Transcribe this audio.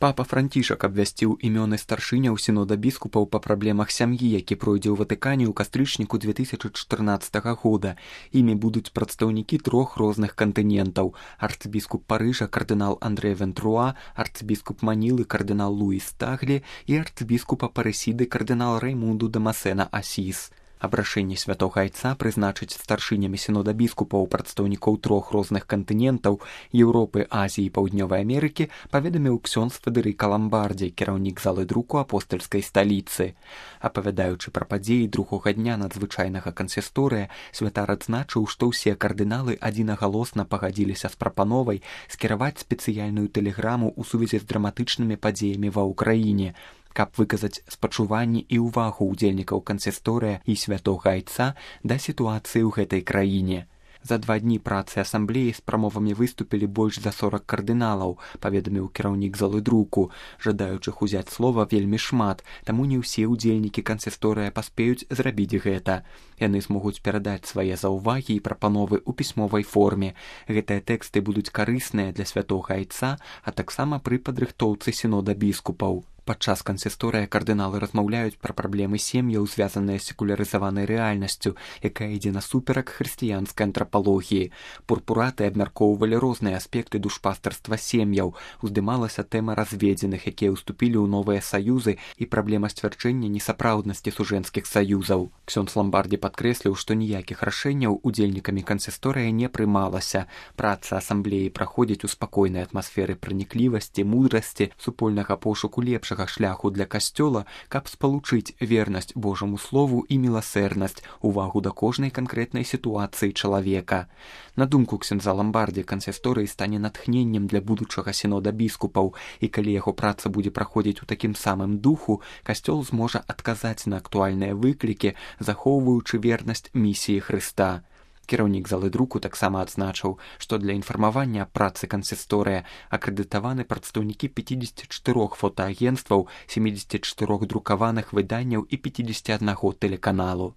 Папа Францішак абвясціў імёны старшыняў сінода біскупаў па праблемах сям'і, які пройдзе ў Ватыкане ў кастрычніку 2014 года. Імі будуць прадстаўнікі 3 розных кантынентаў: арцыбіскуп Парыжа кардынал Андрэй Вентруа, арцыбіскуп Манілы кардынал Луіс Таглі і арцыбіскупа Парысіды кардынал Раймунду де Масена Асіс. Абрашэнне святога айца прызначыць старшынямі сінода біскупаў прадстаўнікоў 3 розных кантынентаў Еўропы, Азіі і Паўднёвай Амерыкі паведаміў ксёндз Федэрыка Ламбардзі, кіраўнік залы друку апостальскай сталіцы. Апавядаючы пра падзеі другога дня надзвычайнага кансісторыя, святар адзначыў, што ўсе кардыналы адзінагалосна пагадзіліся з прапановай скіраваць спецыяльную тэлеграму ў сувязі з драматычнымі падзеямі ва ўкраіне, каб выказаць спачуванні і ўвагу ўдзельнікаў кансісторыя і святога айца да сітуацыі ў гэтай краіне. За 2 дні працы асамблеі з прамовамі выступілі больш за 40 кардыналаў, паведаміў кіраўнік залы друку. Жадаючых узяць слова вельмі шмат, таму не ўсе ўдзельнікі кансісторыя паспеюць зрабіць гэта. Яны змогуць перадаць свае заўвагі і прапановы ў пісьмовай форме. Гэтыя тэксты будуць карысныя для святога айца, а таксама пры падрыхтоўцы сінода біскупаў. Падчас кансісторыя кардыналы размаўляюць пра праблемы сем'яў, звязаныя з секулярызаванай рэальнасцю, якая ідзе насуперак хрысціянскай антрапалогіі. Пурпураты абмяркоўвалі розныя аспекты душпастарства сем'яў. Уздымалася тэма разведзеных, якія ўступілі ў новыя саюзы, і праблема сцвярджэння несапраўднасці сужэнскіх саюзаў. Ксёндз Ламбардзі падкрэсліў, што ніякіх рашэнняў удзельнікамі кансісторыя не прымалася. Праца асамблеі праходзіць у спакойнай атмасферы праніклівасці, мудрасці, супольнага пошуку лепшага шляху для касцёла, каб спалучыць вернасць Божаму слову і міласэрнасць, увагу да кожнай канкрэтнай сітуацыі чалавека. На думку ксёндза Ламбардзі, кансісторый стане натхненнем для будучага сінода біскупаў, і калі яго праца будзе праходзіць у такім самым духу, касцёл зможа адказаць на актуальныя выклікі, захоўваючы вернасць місіі Хрыста. Кіраўнік залы друку таксама адзначыў, што для інфармавання аб працы кансісторыя акрэдытаваны прадстаўнікі 54 фотоагенцтваў, 74 друкаваных выданняў і 51 тэлеканалу.